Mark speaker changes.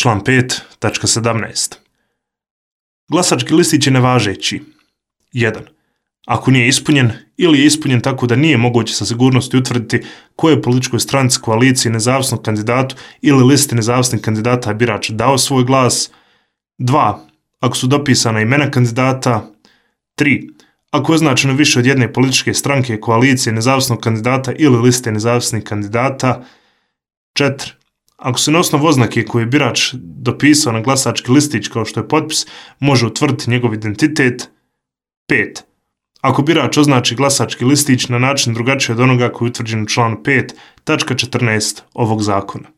Speaker 1: Član 5.17. Glasački listić je nevažeći. 1. Ako nije ispunjen ili je ispunjen tako da nije moguće sa sigurnosti utvrditi kojoj političkoj stranci, koaliciji, nezavisnom kandidatu ili listi nezavisnih kandidata je birač dao svoj glas. 2. Ako su dopisana imena kandidata. 3. Ako je označeno više od jedne političke stranke, koalicije, nezavisnog kandidata ili liste nezavisnih kandidata. 4. Ako se na osnovu oznake koju je birač dopisao na glasački listić kao što je potpis, može utvrditi njegov identitet. 5. Ako birač označi glasački listić na način drugačiji od onoga koji je utvrđen u članu 5.14 ovog zakona.